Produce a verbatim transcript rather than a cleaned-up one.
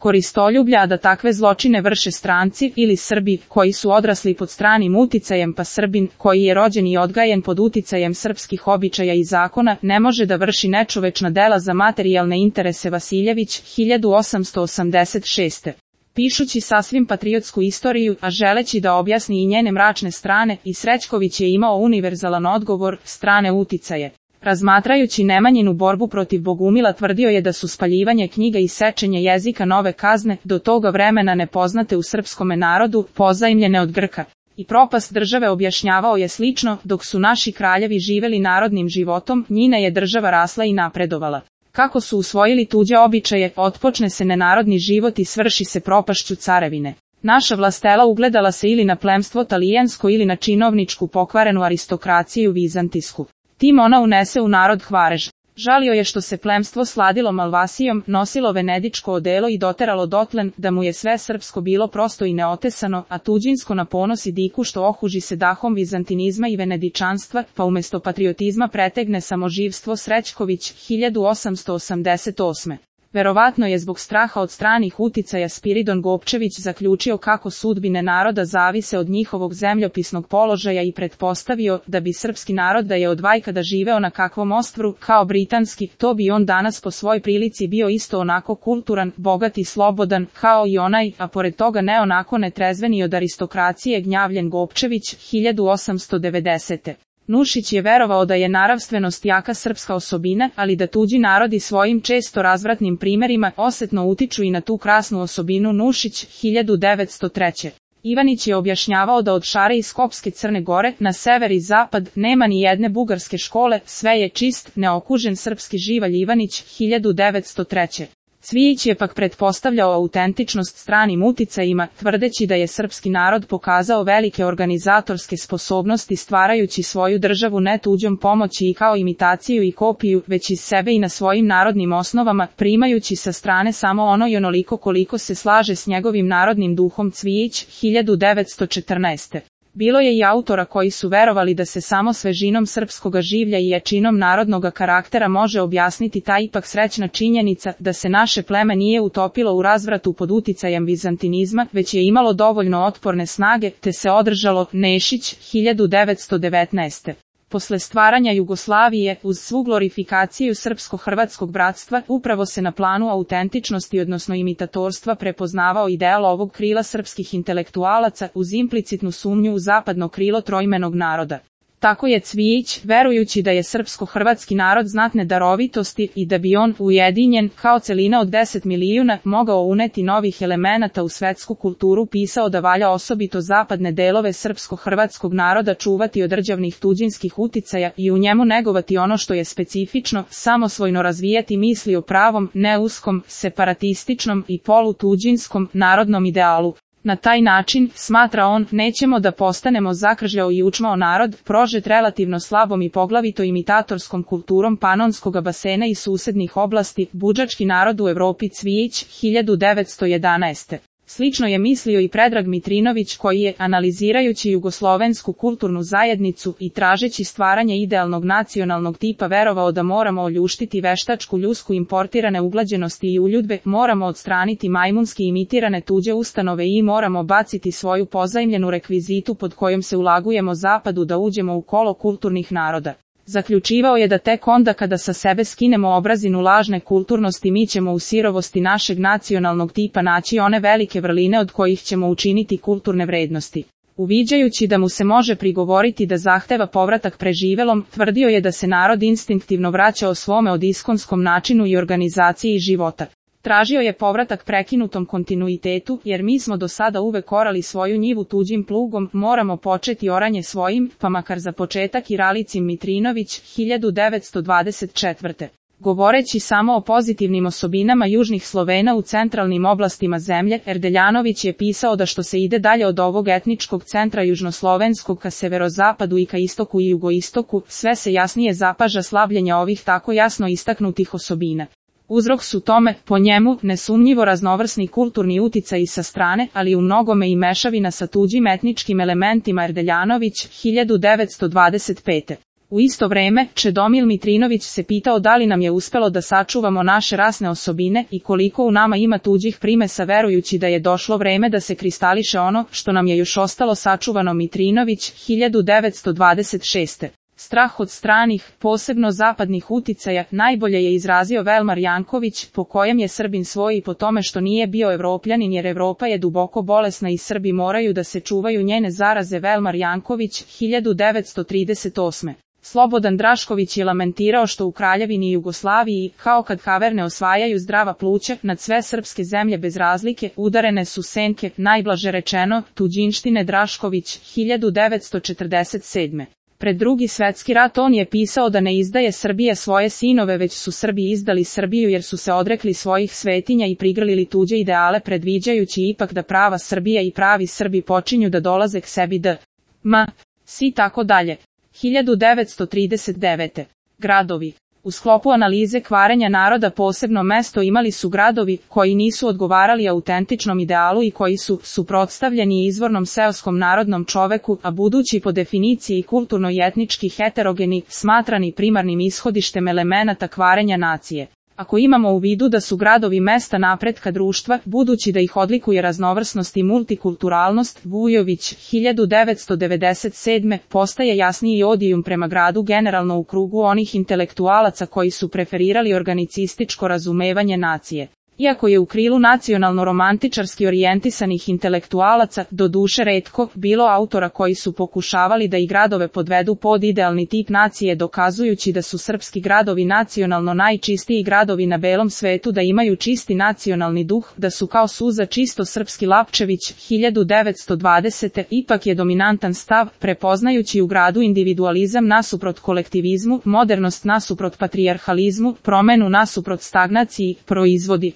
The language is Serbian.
koristoljublja, a da takve zločine vrše stranci ili Srbi koji su odrasli pod stranim uticajem, pa Srbin koji je rođen i odgajen pod uticajem srpskih običaja i zakona ne može da vrši nečovečna dela za materijalne interese. Vasiljević, hiljadu osamsto osamdeset šeste. Pišući sasvim patriotsku istoriju, a želeći da objasni i njene mračne strane, i Srećković je imao univerzalan odgovor, strane uticaje. Razmatrajući Nemanjinu borbu protiv Bogumila, tvrdio je da su spaljivanje knjiga i sečenje jezika nove kazne, do toga vremena nepoznate u srpskome narodu, pozajmljene od Grka. I propast države objašnjavao je slično, dok su naši kraljevi živeli narodnim životom, njina je država rasla i napredovala. Kako su usvojili tuđe običaje, otpočne se nenarodni život i svrši se propašću carevine. Naša vlastela ugledala se ili na plemstvo talijansko ili na činovničku pokvarenu aristokraciju vizantijsku. Tim ona unese u narod Hvarež. Žalio je što se plemstvo sladilo Malvasijom, nosilo venedičko odelo i doteralo dotlen, da mu je sve srpsko bilo prosto i neotesano, a tuđinsko na ponos i diku što ohuži se dahom vizantinizma i venedičanstva, pa umesto patriotizma pretegne samoživstvo. Srećković, hiljadu osamsto osamdeset osme. Verovatno je zbog straha od stranih uticaja Spiridon Gopčević zaključio kako sudbine naroda zavise od njihovog zemljopisnog položaja i pretpostavio da bi srpski narod da je od vajkada živeo na kakvom ostrvu kao britanski, to bi on danas po svoj prilici bio isto onako kulturan, bogat i slobodan kao i onaj, a pored toga ne onako netrezveni od aristokracije gnjavljen Gopčević, hiljadu osamsto devedesete. Nušić je verovao da je naravstvenost jaka srpska osobina, ali da tuđi narodi svojim često razvratnim primerima osetno utiču i na tu krasnu osobinu. Nušić, hiljadu devetsto treće. Ivanić je objašnjavao da od Šare i Skopske Crne Gore, na sever i zapad, nema ni jedne bugarske škole, sve je čist, neokužen srpski živalj. Ivanić, hiljadu devetsto treće. Cvijić je pak pretpostavljao autentičnost stranim uticajima, tvrdeći da je srpski narod pokazao velike organizatorske sposobnosti stvarajući svoju državu ne tuđom pomoći i kao imitaciju i kopiju, već iz sebe i na svojim narodnim osnovama, primajući sa strane samo ono i onoliko koliko se slaže s njegovim narodnim duhom. Cvijić, hiljadu devetsto četrnaeste. Bilo je i autora koji su verovali da se samo svežinom srpskoga življa i jačinom narodnoga karaktera može objasniti ta ipak srećna činjenica da se naše pleme nije utopilo u razvratu pod uticajem vizantinizma, već je imalo dovoljno otporne snage, te se održalo. Nešić, hiljadu devetsto devetnaeste. Posle stvaranja Jugoslavije, uz svu glorifikaciju srpsko-hrvatskog bratstva, upravo se na planu autentičnosti odnosno imitatorstva prepoznavao ideal ovog krila srpskih intelektualaca uz implicitnu sumnju u zapadno krilo trojmenog naroda. Tako je Cvijić, verujući da je srpsko-hrvatski narod znatne darovitosti i da bi on, ujedinjen, kao celina od deset milijuna, mogao uneti novih elemenata u svetsku kulturu, pisao da valja osobito zapadne delove srpsko-hrvatskog naroda čuvati od rđavnih tuđinskih uticaja i u njemu negovati ono što je specifično, samosvojno razvijati misli o pravom, neuskom, separatističnom i polutuđinskom narodnom idealu. Na taj način, smatra on, nećemo da postanemo zakržljao i učmao narod, prožet relativno slabom i poglavito imitatorskom kulturom panonskoga basena i susednih oblasti, budžački narod u Evropi. Cvijić, hiljadu devetsto jedanaeste. Slično je mislio i Predrag Mitrinović koji je, analizirajući jugoslovensku kulturnu zajednicu i tražeći stvaranje idealnog nacionalnog tipa, verovao da moramo oljuštiti veštačku ljusku importirane uglađenosti i uljudbe, moramo odstraniti majmunski imitirane tuđe ustanove i moramo baciti svoju pozajmljenu rekvizitu pod kojom se ulagujemo zapadu da uđemo u kolo kulturnih naroda. Zaključivao je da tek onda kada sa sebe skinemo obrazinu lažne kulturnosti mi ćemo u sirovosti našeg nacionalnog tipa naći one velike vrline od kojih ćemo učiniti kulturne vrednosti. Uviđajući da mu se može prigovoriti da zahteva povratak preživelom, tvrdio je da se narod instinktivno vraća o svome od iskonskom načinu i organizaciji života. Tražio je povratak prekinutom kontinuitetu, jer mi smo do sada uvek orali svoju njivu tuđim plugom, moramo početi oranje svojim, pa makar za početak i Ralicin Mitrinović, hiljadu devetsto dvadeset četvrte. Govoreći samo o pozitivnim osobinama južnih Slovena u centralnim oblastima zemlje, Erdeljanović je pisao da što se ide dalje od ovog etničkog centra južnoslovenskog ka severozapadu i ka istoku i jugoistoku, sve se jasnije zapaža slavljenja ovih tako jasno istaknutih osobina. Uzrok su tome, po njemu, nesumnjivo raznovrsni kulturni uticaji sa strane, ali u mnogome i mešavina sa tuđim etničkim elementima. Erdeljanović, hiljadu devetsto dvadeset pete. U isto vreme, Čedomil Mitrinović se pitao da li nam je uspelo da sačuvamo naše rasne osobine i koliko u nama ima tuđih primesa, verujući da je došlo vreme da se kristališe ono što nam je još ostalo sačuvano. Mitrinović, hiljadu devetsto dvadeset šeste. Strah od stranih, posebno zapadnih uticaja, najbolje je izrazio Velmar Janković, po kojem je Srbin svoj i po tome što nije bio Evropljanin, jer Evropa je duboko bolesna i Srbi moraju da se čuvaju njene zaraze. Velmar Janković, hiljadu devetsto trideset osme. Slobodan Drašković je lamentirao što u Kraljevini Jugoslaviji, kao kad kaverne osvajaju zdrava pluća, nad sve srpske zemlje bez razlike, udarene su senke, najblaže rečeno, tuđinštine. Drašković, hiljadu devetsto četrdeset sedme. Pred drugi svetski rat on je pisao da ne izdaje Srbija svoje sinove, već su Srbi izdali Srbiju jer su se odrekli svojih svetinja i prigrlili tuđe ideale, predviđajući ipak da prava Srbija i pravi Srbi počinju da dolaze k sebi d. m. si tako dalje. hiljadu devetsto trideset devete. Gradovi. U sklopu analize kvarenja naroda posebno mesto imali su gradovi koji nisu odgovarali autentičnom idealu i koji su suprotstavljeni izvornom seoskom narodnom čoveku, a budući po definiciji kulturno i etnički heterogeni, smatrani primarnim ishodištem elemenata kvarenja nacije. Ako imamo u vidu da su gradovi mesta napretka društva, budući da ih odlikuje raznovrsnost i multikulturalnost, Vujović, hiljadu devetsto devedeset sedme. postaje jasniji odijum prema gradu generalno u krugu onih intelektualaca koji su preferirali organicističko razumevanje nacije. Iako je u krilu nacionalno-romantičarski orijentisanih intelektualaca, do duše retko, bilo autora koji su pokušavali da i gradove podvedu pod idealni tip nacije, dokazujući da su srpski gradovi nacionalno najčistiji gradovi na belom svetu, da imaju čisti nacionalni duh, da su kao suza čisto srpski. Lapčević, hiljadu devetsto dvadesete. Ipak je dominantan stav, prepoznajući u gradu individualizam nasuprot kolektivizmu, modernost nasuprot patrijarhalizmu, promenu nasuprot stagnaciji, proizvodi